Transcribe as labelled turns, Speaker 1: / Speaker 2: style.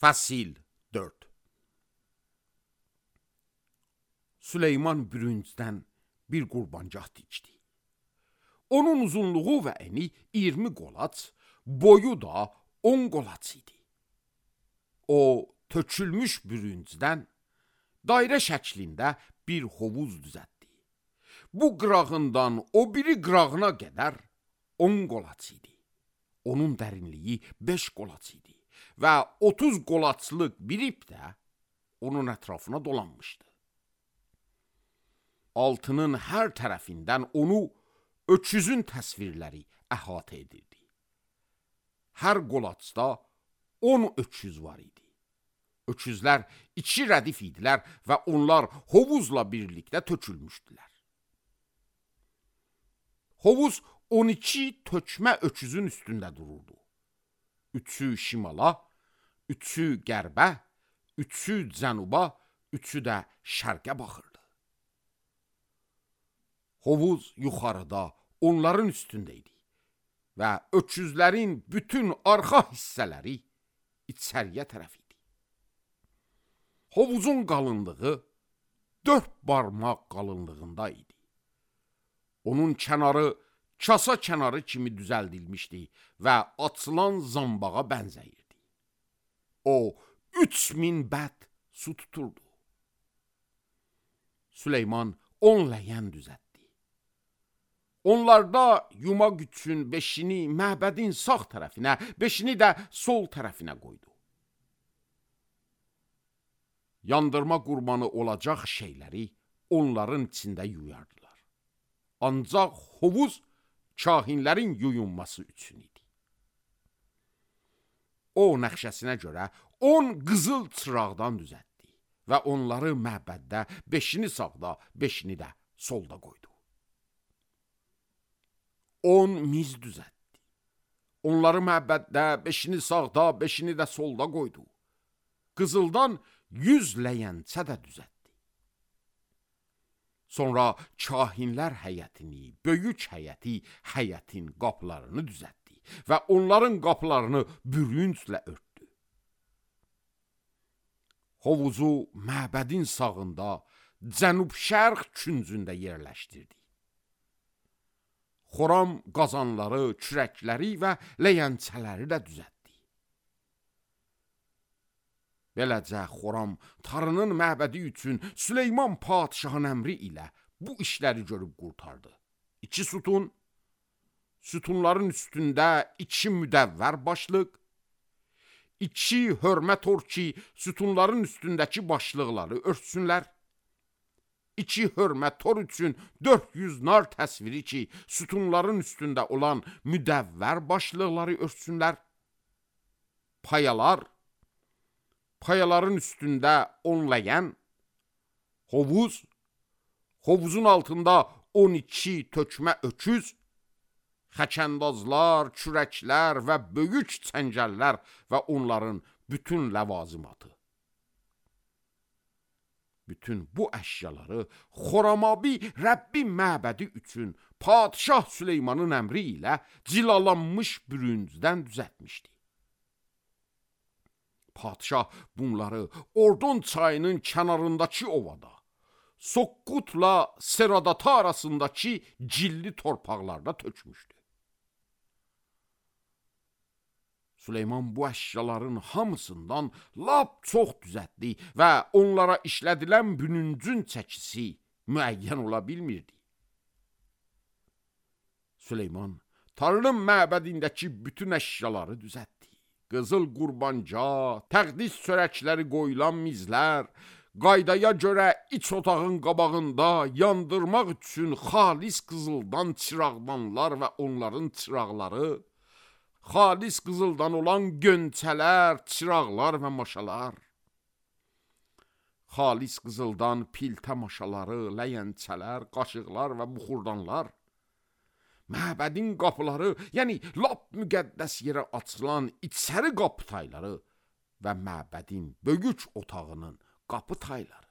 Speaker 1: Fəsil 4. Süleyman bürüncdən bir qurbancaq tikdi. Onun uzunluğu və eni 20 qolaç, boyu da 10 qolaç idi. O, tökülmüş bürüncdən dairə şəklində bir hovuz düzəltdi. Bu qırağından o biri qırağına qədər 10 qolaç idi. Onun dərinliyi 5 qolaç idi və 30 qolaçlıq bir ip də onun ətrafına dolanmışdı. Altının hər tərəfindən onu öküzün təsvirləri əhatə edirdi. Hər qolaçda 10 öküz var idi. Öküzlər 2 rədif idilər və onlar hovuzla birlikdə tökülmüşdülər. Hovuz 12 tökmə öküzün üstündə dururdu. 3'ü şimala, 3'ü qərbə, 3'ü cənuba, 3'ü də şərqə baxırdı. Hovuz yuxarıda onların üstündə idi və öküzlərin bütün arxa hissələri içəriyə tərəf idi. Hovuzun qalınlığı 4 barmaq qalınlığında idi. Onun kənarı kasa kənarı kimi düzəldilmişdi və açılan zambağa bənzəyirdi. O, 3000 bəd su tuturdu. Süleyman 10 ləyən düzəltdi. Onlarda yumaq üçün 5'ini məbədin sağ tərəfinə, 5'ini də sol tərəfinə qoydu. Yandırma qurbanı olacaq şeyləri onların içində yuyardılar. Ancaq hovuz kahinlərin yuyunması üçün idi. O nəxşəsinə görə 10 qızıl çıraqdan düzəltdi və onları məbəddə 5'ini sağda, 5'ini də solda qoydu. 10 miz düzəltdi. Onları məbəddə 5'ini sağda, 5'ini də solda qoydu. Qızıldan 100 ləyəncə də düzəltdi. Sonra kahinlər həyətini, böyük həyəti, həyətin qapılarını düzəltdi və onların qapılarını bürünclə örtdü. Hovuzu məbədin sağında, cənub-şərq küncündə yerləşdirdi. Xoram qazanları, kürəkləri və ləyəncələri də düzəltdi. Beləcə Xoram Tanrının məbədi üçün Süleyman padişahın əmri ilə bu işləri görüb qurtardı. 2 sütun, sütunların üstündə 2 müdəvvər başlıq, 2 hörmə tor ki, sütunların üstündəki başlıqları örtsünlər, 2 hörmə tor üçün 400 nar təsviri ki, sütunların üstündə olan müdəvvər başlıqları örtsünlər, payaların üstündə 10 ləyən, hovuzun altında 12 tökmə öküz, xəkəndazlar, kürəklər və böyük çəngəllər və onların bütün ləvazimatı. Bütün bu əşyaları Xoramabi Rəbbin məbədi üçün padişah Süleymanın əmri ilə cilalanmış bürüncdən düzəltmişdi. Padişah bunları Ordon çayının kənarındakı ovada, Soqqutla Seradata arasındakı cilli torpaqlarda tökmüşdü. Süleyman bu əşyaların hamısından lap çox düzəltdi və onlara işlədilən bürüncün çəkisi müəyyən ola bilmirdi. Süleyman Tanrının məbədindəki bütün əşyaları düzəltdi. Qızıl qurbanca, təqdis çörəkləri qoyulan mizlər, qaydaya görə iç otağın qabağında yandırmaq üçün xalis qızıldan çıraqdanlar və onların çıraqları, xalis qızıldan olan gönçələr, çıraqlar və maşalar, xalis qızıldan piltə maşaları, ləyəncələr, qaşıqlar və buxurdanlar, məbədin qapıları, yəni lap müqəddəs yerə açılan içəri qapı tayları və məbədin böyük otağının qapı tayları.